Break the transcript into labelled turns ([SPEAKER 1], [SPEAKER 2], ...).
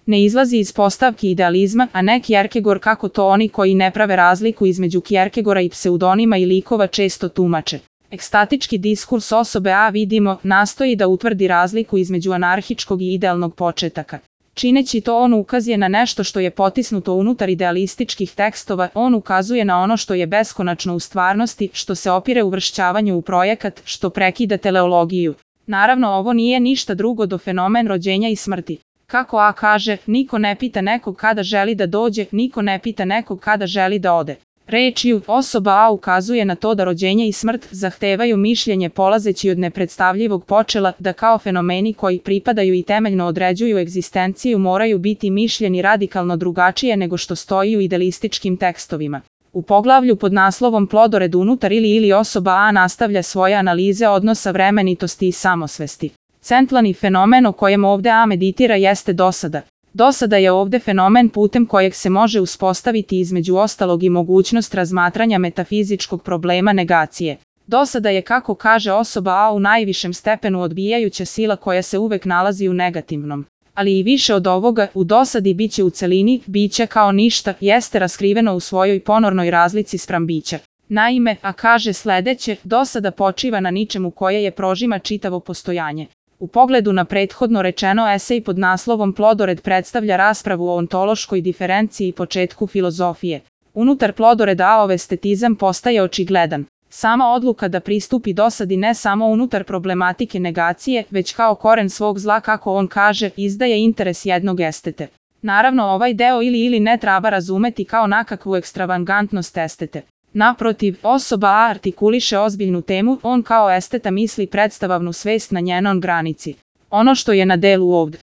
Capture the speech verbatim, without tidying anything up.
[SPEAKER 1] Ne izlazi iz postavki idealizma, a ne Kierkegaard kako to oni koji ne prave razliku između Kierkegaarda i pseudonima i likova često tumače. Ekstatički diskurs osobe A vidimo, nastoji da utvrdi razliku između anarhičkog i idealnog početaka. Čineći to on ukazuje na nešto što je potisnuto unutar idealističkih tekstova, on ukazuje na ono što je beskonačno u stvarnosti, što se opire uvršćavanju u projekat, što prekida teleologiju. Naravno ovo nije ništa drugo do fenomen rođenja i smrti. Kako A kaže, niko ne pita nekog kada želi da dođe, niko ne pita nekog kada želi da ode. Rečju, osoba A ukazuje na to da rođenje i smrt zahtevaju mišljenje polazeći od nepredstavljivog počela, da kao fenomeni koji pripadaju i temeljno određuju egzistenciju moraju biti mišljeni radikalno drugačije nego što stoji u idealističkim tekstovima. U poglavlju pod naslovom Plodored unutar ili ili osoba A nastavlja svoje analize odnosa vremenitosti i samosvesti. Centralni fenomen o kojem ovde A meditira jeste dosada. Dosada je ovde fenomen putem kojeg se može uspostaviti između ostalog i mogućnost razmatranja metafizičkog problema negacije. Dosada je, kako kaže osoba A, u najvišem stepenu odbijajuća sila koja se uvek nalazi u negativnom. Ali i više od ovoga, u dosadi biće u celini, biće kao ništa, jeste raskriveno u svojoj ponornoj razlici spram bića. Naime, A kaže sledeće, dosada počiva na ničemu koje je prožima čitavo postojanje. U pogledu na prethodno rečeno, esej pod naslovom Plodored predstavlja raspravu o ontološkoj diferenciji i početku filozofije. Unutar Plodoreda A-ov estetizam postaje očigledan. Sama odluka da pristupi dosadi ne samo unutar problematike negacije, već kao koren svog zla, kako on kaže, izdaje interes jednog estete. Naravno, ovaj deo ili ili ne treba razumeti kao nakakvu ekstravagantnost estete. Naprotiv, osoba A artikuliše ozbiljnu temu, on kao esteta misli predstavavnu svest na njenom granici. Ono što je na delu ovdje